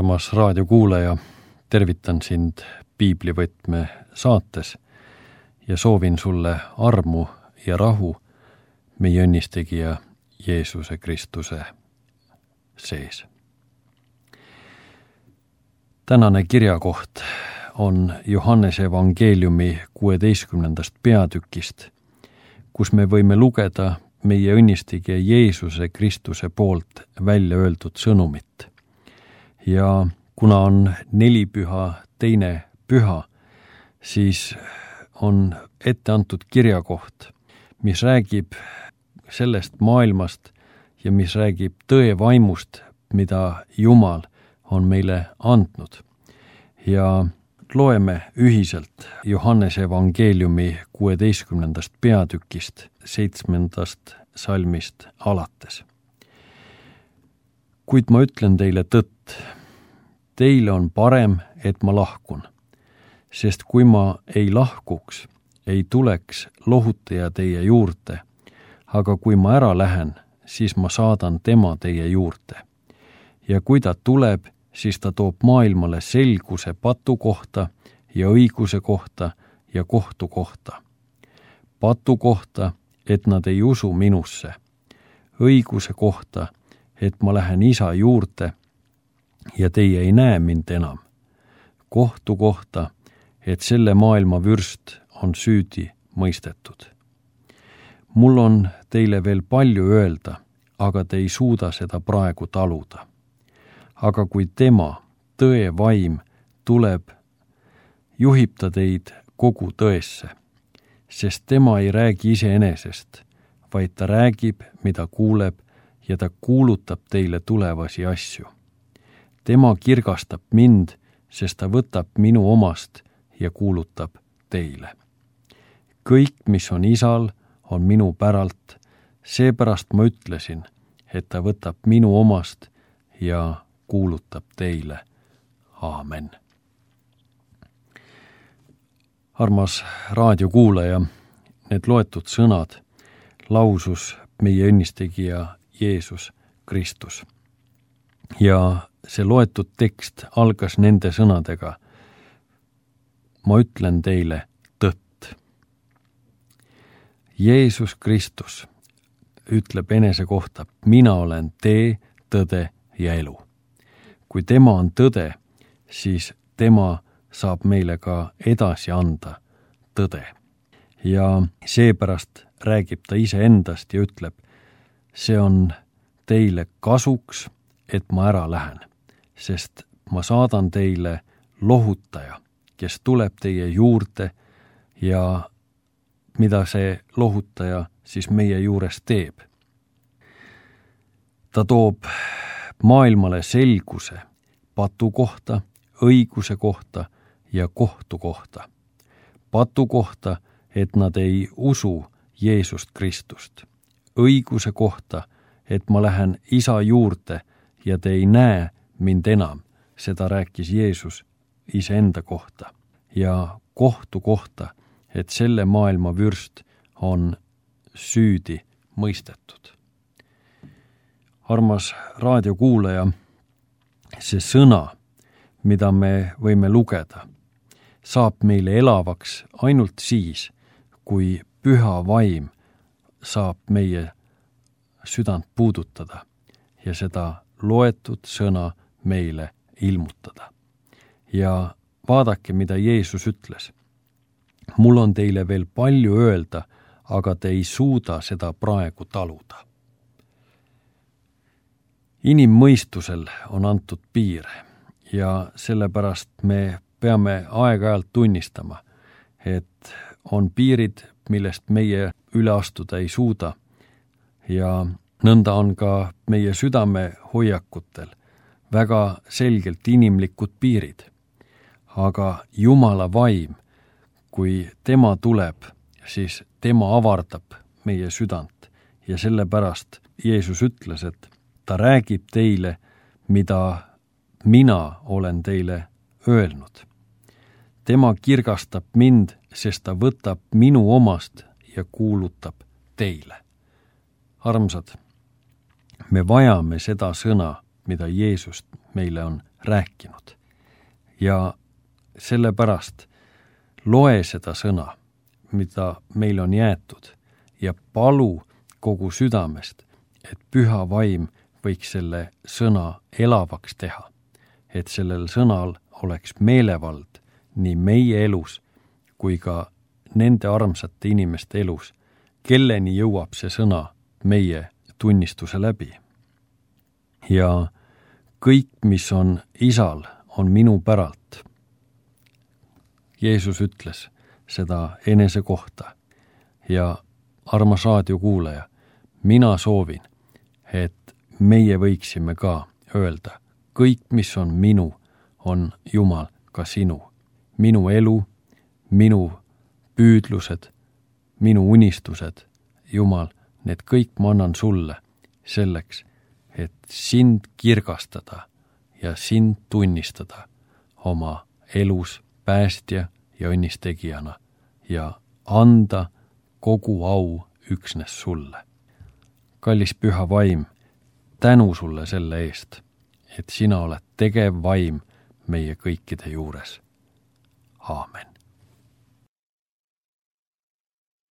Armas raadiokuulaja, tervitan sind Piiblivõtme saates ja soovin sulle armu ja rahu meie õnnistegija Jeesuse Kristuse sees. Tänane kirjakoht on Johannese evangeeliumi 16. peatükist, kus me võime lugeda meie õnnistegija Jeesuse Kristuse poolt välja öeldud sõnumit. Ja kuna on nelipüha teine püha, siis on ette antud kirjakoht, mis räägib sellest maailmast ja mis räägib tõe vaimust, mida Jumal on meile andnud. Ja loeme ühiselt Johannese evangeeliumi 16. peatükist 7. salmist alates. Kuid ma ütlen teile tõtt, teile on parem, et ma lahkun, sest kui ma ei lahkuks, ei tuleks lohutaja teie juurde, aga kui ma ära lähen, siis ma saadan tema teie juurde. Ja kui ta tuleb, siis ta toob maailmale selguse patu kohta ja õiguse kohta ja kohtu kohta. Patu kohta, et nad ei usu minusse. Õiguse kohta, et ma lähen isa juurde ja teie ei näe mind enam. Kohtu kohta, et selle maailma vürst on süüdi mõistetud. Mul on teile veel palju öelda, aga te ei suuda seda praegu taluda. Aga kui tema, tõe vaim, tuleb, juhib ta teid kogu tõesse, sest tema ei räägi iseenesest, vaid ta räägib, mida kuuleb, ja ta kuulutab teile tulevasi asju. Tema kirgastab mind, sest ta võtab minu omast ja kuulutab teile. Kõik, mis on isal, on minu päralt, seepärast ma ütlesin, et ta võtab minu omast ja kuulutab teile. Aamen. Armas raadiokuulaja, need loetud sõnad lausus meie õnnistegija Jeesus Kristus. Ja see loetud tekst algas nende sõnadega: ma ütlen teile tõtt. Jeesus Kristus ütleb enese kohta: mina olen tee, tõde ja elu. Kui tema on tõde, siis tema saab meile ka edasi anda tõde. Ja seepärast räägib ta iseendast ja ütleb: see on teile kasuks, et ma ära lähen, sest ma saadan teile lohutaja, kes tuleb teie juurde ja mida see lohutaja siis meie juures teeb. Ta toob maailmale selguse patu kohta, õiguse kohta ja kohtu kohta. Patu kohta, et nad ei usu Jeesust Kristust. Õiguse kohta, et ma lähen isa juurde ja te ei näe mind enam. Seda rääkis Jeesus iseenda kohta. Ja kohtu kohta, et selle maailma vürst on süüdi mõistetud. Armas raadiokuulaja, see sõna, mida me võime lugeda, saab meile elavaks ainult siis, kui püha vaim saab meie südant puudutada ja seda loetud sõna meile ilmutada. Ja vaadake, mida Jeesus ütles. Mul on teile veel palju öelda, aga te ei suuda seda praegu taluda. Inimmõistusel on antud piir ja sellepärast me peame aeg-ajalt tunnistama, et on piirid, millest meie üle astuda ei suuda ja nõnda on ka meie südame hoiakutel väga selgelt inimlikud piirid. Aga Jumala vaim, kui tema tuleb, siis tema avardab meie südant ja sellepärast Jeesus ütles, et ta räägib teile, mida mina olen teile öelnud. Tema kirgastab mind, sest ta võtab minu omast ja kuulutab teile. Armsad, me vajame seda sõna, mida Jeesus meile on rääkinud. Ja sellepärast loe seda sõna, mida meil on jäetud, ja palu kogu südamest, et Püha Vaim võiks selle sõna elavaks teha, et sellel sõnal oleks meelevald nii meie elus kui ka nende armsate inimeste elus, kelleni jõuab see sõna meie tunnistuse läbi. Ja kõik, mis on Isal, on minu päralt. Jeesus ütles seda enese kohta ja armas raadiokuulaja, mina soovin, et meie võiksime ka öelda, kõik, mis on minu, on Jumal ka sinu. Minu elu, minu püüdlused, minu unistused, Jumal, need kõik ma annan sulle selleks, et sind kirgastada ja sind tunnistada oma elus päästja ja õnnistegijana ja anda kogu au üksnes sulle. Kallis Püha Vaim, tänu sulle selle eest, et sina oled tegev vaim meie kõikide juures. Aamen.